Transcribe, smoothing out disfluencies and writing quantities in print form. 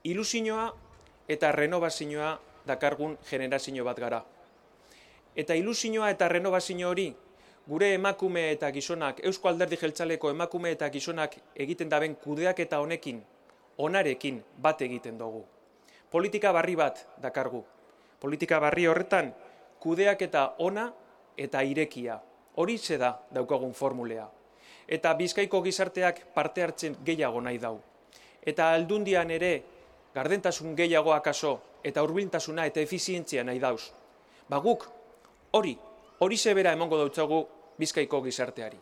ilusioa eta renovazioa dakargun generazio bat gara. Eta ilusioa eta renovazio hori gure emakume eta gizonak, Eusko Alderdi Jeltzaleko emakume eta gizonak egiten daben kudeaketa honekin, onarekin bat egiten dugu. Politika barri bat dakargu. Politika barri horretan kudeaketa ona eta irekia. Horixe da daukagun formulea. Eta Bizkaiko gizarteak parte hartzen gehiago nahi dau. Eta aldundian ere gardentasun gehiago akaso eta hurbiltasuna eta efizientzia nahi dauz. Guk hori zebera emongo dautzagu Bizkaiko gizarteari.